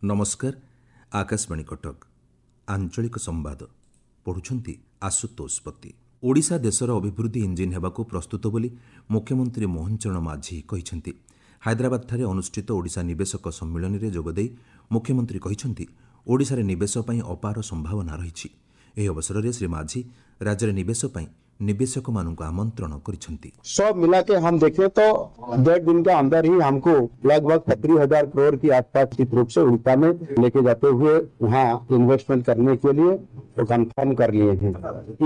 ନମସ୍କାର, ଆକାଶବାଣୀ କଟକ। ଆଞ୍ଚଳିକ ସମ୍ବାଦ ପଢ଼ୁଛନ୍ତି ଆଶୁତୋଷ ପତି। ଓଡ଼ିଶା ଦେଶର ଅଭିବୃଦ୍ଧି ଇଞ୍ଜିନ୍ ହେବାକୁ ପ୍ରସ୍ତୁତ ବୋଲି ମୁଖ୍ୟମନ୍ତ୍ରୀ ମୋହନ ଚରଣ ମାଝୀ କହିଛନ୍ତି। ହାଇଦ୍ରାବାଦଠାରେ ଅନୁଷ୍ଠିତ ଓଡ଼ିଶା ନିବେଶକ ସମ୍ମିଳନୀରେ ଯୋଗଦେଇ ମୁଖ୍ୟମନ୍ତ୍ରୀ କହିଛନ୍ତି, ଓଡ଼ିଶାରେ ନିବେଶ ପାଇଁ ଅପାର ସମ୍ଭାବନା ରହିଛି। ଏହି ଅବସରରେ ଶ୍ରୀ ମାଝୀ ରାଜ୍ୟରେ ନିବେଶ ପାଇଁ ନିବେଶକମାନଙ୍କୁ ଆମନ୍ତ୍ରଣ କରିଛନ୍ତି। सब मिला के हम देखें तो 1.5 दिन के अंदर ही हमको लगभग 70,000 करोड़ की आसपास निश्चित रूप से उड़ीसा में लेके जाते हुए वहाँ इन्वेस्टमेंट करने के लिए वो कंफर्म कर लिए हैं।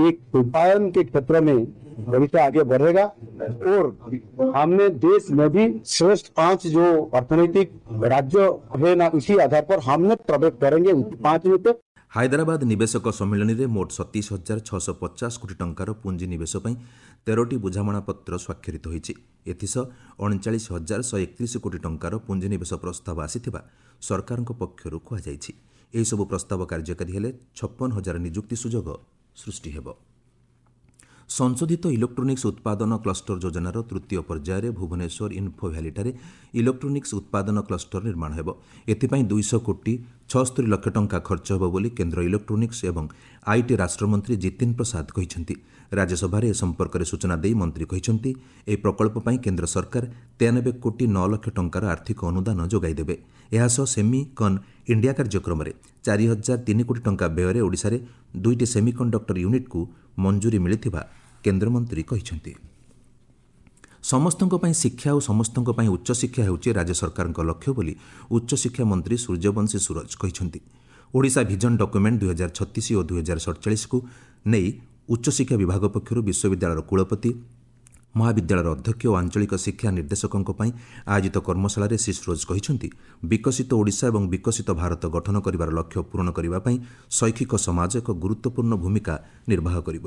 एक उपायन के क्षेत्र में भविष्य आगे बढ़ेगा और हमने देश में भी श्रेष्ठ 5 जो अर्थनीतिक राज्य है ना, उसी आधार पर हमने प्रवेश करेंगे 5 में। तो ହାଇଦ୍ରାବାଦ ନିବେଶକ ସମ୍ମିଳନୀରେ ମୋଟ 27,650 କୋଟି ଟଙ୍କାର ପୁଞ୍ଜି ନିବେଶ ପାଇଁ 13ଟି ବୁଝାମଣାପତ୍ର ସ୍ୱାକ୍ଷରିତ ହୋଇଛି। ଏଥିସହ 39,131 କୋଟି ଟଙ୍କାର ପୁଞ୍ଜିନିବେଶ ପ୍ରସ୍ତାବ ଆସିଥିବା ସରକାରଙ୍କ ପକ୍ଷରୁ କୁହାଯାଇଛି। ଏହିସବୁ ପ୍ରସ୍ତାବ କାର୍ଯ୍ୟକାରୀ ହେଲେ 56,000 ନିଯୁକ୍ତି ସୁଯୋଗ ସୃଷ୍ଟି ହେବ। ସଂଶୋଧିତ ଇଲେକ୍ଟ୍ରୋନିକ୍ସ ଉତ୍ପାଦନ କ୍ଲଷ୍ଟର ଯୋଜନାର ତୃତୀୟ ପର୍ଯ୍ୟାୟରେ ଭୁବନେଶ୍ୱର ଇନ୍ଫୋ ଭ୍ୟାଲିଠାରେ ଇଲେକ୍ଟ୍ରୋନିକ୍ସ ଉତ୍ପାଦନ କ୍ଲଷ୍ଟର ନିର୍ମାଣ ହେବ। ଏଥିପାଇଁ 200 କୋଟି 76 ଲକ୍ଷ ଟଙ୍କା ଖର୍ଚ୍ଚ ହେବ ବୋଲି କେନ୍ଦ୍ର ଇଲେକ୍ଟ୍ରୋନିକ୍ସ ଏବଂ IT ରାଷ୍ଟ୍ରମନ୍ତ୍ରୀ ଜିତିନ ପ୍ରସାଦ କହିଛନ୍ତି। ରାଜ୍ୟସଭାରେ ଏ ସମ୍ପର୍କରେ ସୂଚନା ଦେଇ ମନ୍ତ୍ରୀ କହିଛନ୍ତି, ଏହି ପ୍ରକଳ୍ପ ପାଇଁ କେନ୍ଦ୍ର ସରକାର 93 କୋଟି 9 ଲକ୍ଷ ଟଙ୍କାର ଆର୍ଥିକ ଅନୁଦାନ ଯୋଗାଇ ଦେବେ। ଏହାସହ ସେମି କନ୍ ଇଣ୍ଡିଆ କାର୍ଯ୍ୟକ୍ରମରେ 4,003 କୋଟି ଟଙ୍କା ବ୍ୟୟରେ ଓଡ଼ିଶାରେ 2ଟି ସେମି କଣ୍ଡକ୍ଟର ୟୁନିଟ୍କୁ ମଞ୍ଜୁରୀ ମିଳିଥିବା କେନ୍ଦ୍ରମନ୍ତ୍ରୀ କହିଛନ୍ତି। ସମସ୍ତଙ୍କ ପାଇଁ ଶିକ୍ଷା ଓ ସମସ୍ତଙ୍କ ପାଇଁ ଉଚ୍ଚଶିକ୍ଷା ହେଉଛି ରାଜ୍ୟ ସରକାରଙ୍କ ଲକ୍ଷ୍ୟ ବୋଲି ଉଚ୍ଚଶିକ୍ଷା ମନ୍ତ୍ରୀ ସୂର୍ଯ୍ୟବଂଶୀ ସୂରଜ କହିଛନ୍ତି। ଓଡ଼ିଶା ଭିଜନ ଡକ୍ୟୁମେଣ୍ଟ 2036 ଓ 2047କୁ ନେଇ ଉଚ୍ଚଶିକ୍ଷା ବିଭାଗ ପକ୍ଷରୁ ବିଶ୍ୱବିଦ୍ୟାଳୟର କୁଳପତି, ମହାବିଦ୍ୟାଳୟର ଅଧ୍ୟକ୍ଷ ଓ ଆଞ୍ଚଳିକ ଶିକ୍ଷା ନିର୍ଦ୍ଦେଶକଙ୍କ ପାଇଁ ଆୟୋଜିତ କର୍ମଶାଳାରେ ଶ୍ରୀ ସୂରଜ କହିଛନ୍ତି, ବିକଶିତ ଓଡ଼ିଶା ଏବଂ ବିକଶିତ ଭାରତ ଗଠନ କରିବାର ଲକ୍ଷ୍ୟ ପୂରଣ କରିବା ପାଇଁ ଶୈକ୍ଷିକ ସମାଜ ଏକ ଗୁରୁତ୍ୱପୂର୍ଣ୍ଣ ଭୂମିକା ନିର୍ବାହ କରିବ।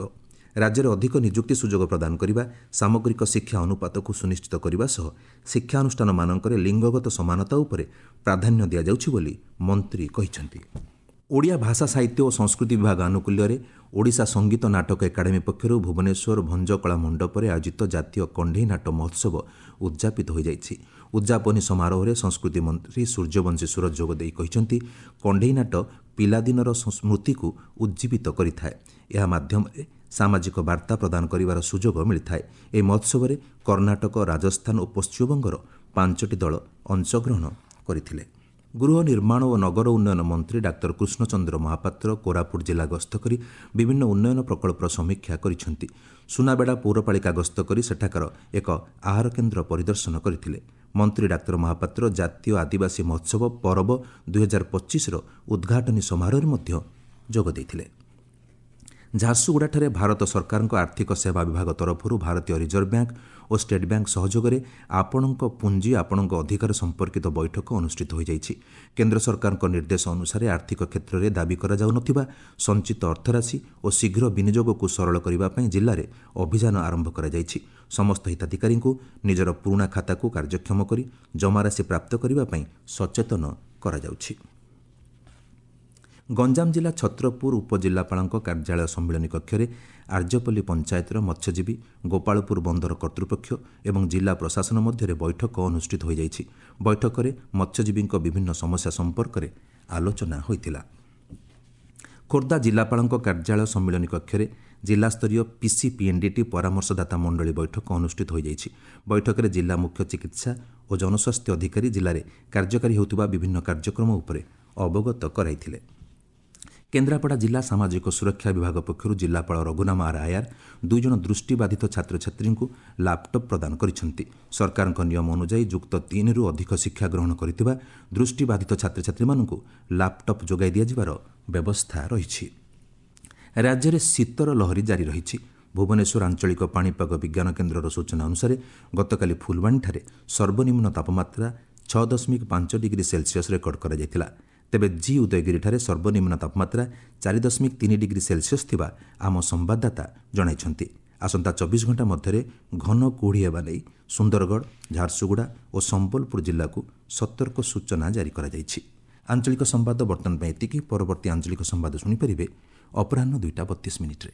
ରାଜ୍ୟରେ ଅଧିକ ନିଯୁକ୍ତି ସୁଯୋଗ ପ୍ରଦାନ କରିବା, ସାମଗ୍ରିକ ଶିକ୍ଷା ଅନୁପାତକୁ ସୁନିଶ୍ଚିତ କରିବା ସହ ଶିକ୍ଷାନୁଷ୍ଠାନମାନଙ୍କରେ ଲିଙ୍ଗଗତ ସମାନତା ଉପରେ ପ୍ରାଧାନ୍ୟ ଦିଆଯାଉଛି ବୋଲି ମନ୍ତ୍ରୀ କହିଛନ୍ତି। ଓଡ଼ିଆ ଭାଷା, ସାହିତ୍ୟ ଓ ସଂସ୍କୃତି ବିଭାଗ ଆନୁକୂଲ୍ୟରେ ଓଡ଼ିଶା ସଙ୍ଗୀତ ନାଟକ ଏକାଡେମୀ ପକ୍ଷରୁ ଭୁବନେଶ୍ୱର ଭଞ୍ଜକଳା ମଣ୍ଡପରେ ଆୟୋଜିତ ଜାତୀୟ କଣ୍ଢେଇ ନାଟ ମହୋତ୍ସବ ଉଦ୍ଯାପିତ ହୋଇଯାଇଛି। ଉଦ୍ଯାପନୀ ସମାରୋହରେ ସଂସ୍କୃତି ମନ୍ତ୍ରୀ ସୂର୍ଯ୍ୟବଂଶୀ ସୂରଜ ଯୋଗଦେଇ କହିଛନ୍ତି, କଣ୍ଢେଇ ନାଟ ପିଲାଦିନର ସ୍ମୃତିକୁ ଉଜ୍ଜୀବିତ କରିଥାଏ। ଏହା ମାଧ୍ୟମରେ ସାମାଜିକ ବାର୍ତ୍ତା ପ୍ରଦାନ କରିବାର ସୁଯୋଗ ମିଳିଥାଏ। ଏହି ମହୋତ୍ସବରେ କର୍ଣ୍ଣାଟକ, ରାଜସ୍ଥାନ ଓ ପଶ୍ଚିମବଙ୍ଗର 5ଟି ଦଳ ଅଂଶଗ୍ରହଣ କରିଥିଲେ। ଗୃହ ନିର୍ମାଣ ଓ ନଗର ଉନ୍ନୟନ ମନ୍ତ୍ରୀ ଡାକ୍ତର କୃଷ୍ଣଚନ୍ଦ୍ର ମହାପାତ୍ର କୋରାପୁଟ ଜିଲ୍ଲା ଗସ୍ତ କରି ବିଭିନ୍ନ ଉନ୍ନୟନ ପ୍ରକଳ୍ପର ସମୀକ୍ଷା କରିଛନ୍ତି। ସୁନାବେଡ଼ା ପୌରପାଳିକା ଗସ୍ତ କରି ସେଠାକାର ଏକ ଆହାର କେନ୍ଦ୍ର ପରିଦର୍ଶନ କରିଥିଲେ। ମନ୍ତ୍ରୀ ଡାକ୍ତର ମହାପାତ୍ର ଜାତୀୟ ଆଦିବାସୀ ମହୋତ୍ସବ ପରବ 2025ର ଉଦ୍ଘାଟନୀ ସମାରୋହରେ ମଧ୍ୟ ଯୋଗ ଦେଇଥିଲେ। ଝାରସୁଗୁଡ଼ାଠାରେ ଭାରତ ସରକାରଙ୍କ ଆର୍ଥିକ ସେବା ବିଭାଗ ତରଫରୁ ଭାରତୀୟ ରିଜର୍ଭ ବ୍ୟାଙ୍କ ଓ ଷ୍ଟେଟ୍ ବ୍ୟାଙ୍କ ସହଯୋଗରେ ଆପଣଙ୍କ ପୁଞ୍ଜି ଆପଣଙ୍କ ଅଧିକାର ସମ୍ପର୍କିତ ବୈଠକ ଅନୁଷ୍ଠିତ ହୋଇଯାଇଛି। କେନ୍ଦ୍ର ସରକାରଙ୍କ ନିର୍ଦ୍ଦେଶ ଅନୁସାରେ ଆର୍ଥିକ କ୍ଷେତ୍ରରେ ଦାବି କରାଯାଉନଥିବା ସଞ୍ଚିତ ଅର୍ଥରାଶି ଓ ଶୀଘ୍ର ବିନିଯୋଗକୁ ସରଳ କରିବା ପାଇଁ ଜିଲ୍ଲାରେ ଅଭିଯାନ ଆରମ୍ଭ କରାଯାଇଛି। ସମସ୍ତ ହିତାଧିକାରୀଙ୍କୁ ନିଜର ପୁରୁଣା ଖାତାକୁ କାର୍ଯ୍ୟକ୍ଷମ କରି ଜମାରାଶି ପ୍ରାପ୍ତ କରିବା ପାଇଁ ସଚେତନ କରାଯାଉଛି। ଗଞ୍ଜାମ ଜିଲ୍ଲା ଛତ୍ରପୁର ଉପଜିଲ୍ଲାପାଳଙ୍କ କାର୍ଯ୍ୟାଳୟ ସମ୍ମିଳନୀ କକ୍ଷରେ ଆର୍ଯ୍ୟପଲ୍ଲୀ ପଞ୍ଚାୟତର ମତ୍ସ୍ୟଜୀବୀ, ଗୋପାଳପୁର ବନ୍ଦର କର୍ତ୍ତୃପକ୍ଷ ଏବଂ ଜିଲ୍ଲା ପ୍ରଶାସନ ମଧ୍ୟରେ ବୈଠକ ଅନୁଷ୍ଠିତ ହୋଇଯାଇଛି। ବୈଠକରେ ମତ୍ସ୍ୟଜୀବୀଙ୍କ ବିଭିନ୍ନ ସମସ୍ୟା ସମ୍ପର୍କରେ ଆଲୋଚନା ହୋଇଥିଲା। ଖୋର୍ଦ୍ଧା ଜିଲ୍ଲାପାଳଙ୍କ କାର୍ଯ୍ୟାଳୟ ସମ୍ମିଳନୀ କକ୍ଷରେ ଜିଲ୍ଲାସ୍ତରୀୟ ପିସିପିଏନ୍ଡିଟି ପରାମର୍ଶଦାତା ମଣ୍ଡଳୀ ବୈଠକ ଅନୁଷ୍ଠିତ ହୋଇଯାଇଛି। ବୈଠକରେ ଜିଲ୍ଲା ମୁଖ୍ୟ ଚିକିତ୍ସା ଓ ଜନସ୍ୱାସ୍ଥ୍ୟ ଅଧିକାରୀ ଜିଲ୍ଲାରେ କାର୍ଯ୍ୟକାରୀ ହେଉଥିବା ବିଭିନ୍ନ କାର୍ଯ୍ୟକ୍ରମ ଉପରେ ଅବଗତ କରାଇଥିଲେ। କେନ୍ଦ୍ରାପଡ଼ା ଜିଲ୍ଲା ସାମାଜିକ ସୁରକ୍ଷା ବିଭାଗ ପକ୍ଷରୁ ଜିଲ୍ଲାପାଳ ରଘୁନାମ ଆର୍ ଆୟାର 2 ଜଣ ଦୃଷ୍ଟିବାଧିତ ଛାତ୍ରଛାତ୍ରୀଙ୍କୁ ଲାପଟପ୍ ପ୍ରଦାନ କରିଛନ୍ତି। ସରକାରଙ୍କ ନିୟମ ଅନୁଯାୟୀ ଯୁକ୍ତ 3ରୁ ଅଧିକ ଶିକ୍ଷା ଗ୍ରହଣ କରିଥିବା ଦୃଷ୍ଟିବାଧିତ ଛାତ୍ରଛାତ୍ରୀମାନଙ୍କୁ ଲାପଟପ୍ ଯୋଗାଇ ଦିଆଯିବାର ବ୍ୟବସ୍ଥା ରହିଛି। ରାଜ୍ୟରେ ଶୀତର ଲହରୀ ଜାରି ରହିଛି। ଭୁବନେଶ୍ୱର ଆଞ୍ଚଳିକ ପାଣିପାଗ ବିଜ୍ଞାନ କେନ୍ଦ୍ରର ସୂଚନା ଅନୁସାରେ ଗତକାଲି ଫୁଲବାଣୀଠାରେ ସର୍ବନିମ୍ନ ତାପମାତ୍ରା 6.5 ଡିଗ୍ରୀ ସେଲସିୟସ୍ ରେକର୍ଡ କରାଯାଇଥିଲା। ତେବେ ଜି ଉଦୟଗିରିଠାରେ ସର୍ବନିମ୍ନ ତାପମାତ୍ରା 4.3 ଡିଗ୍ରୀ ସେଲସିୟସ୍ ଥିବା ଆମ ସମ୍ବାଦଦାତା ଜଣାଇଛନ୍ତି। ଆସନ୍ତା 24 ଘଣ୍ଟା ମଧ୍ୟରେ ଘନ କୁହୁଡ଼ି ହେବା ନେଇ ସୁନ୍ଦରଗଡ଼, ଝାରସୁଗୁଡ଼ା ଓ ସମ୍ବଲପୁର ଜିଲ୍ଲାକୁ ସତର୍କ ସୂଚନା ଜାରି କରାଯାଇଛି। ଆଞ୍ଚଳିକ ସମ୍ବାଦ ବର୍ତ୍ତମାନ ପାଇଁ ଏତିକି। ପରବର୍ତ୍ତୀ ଆଞ୍ଚଳିକ ସମ୍ବାଦ ଶୁଣିପାରିବେ ଅପରାହ୍ନ 2ଟା 32 ମିନିଟ୍ରେ।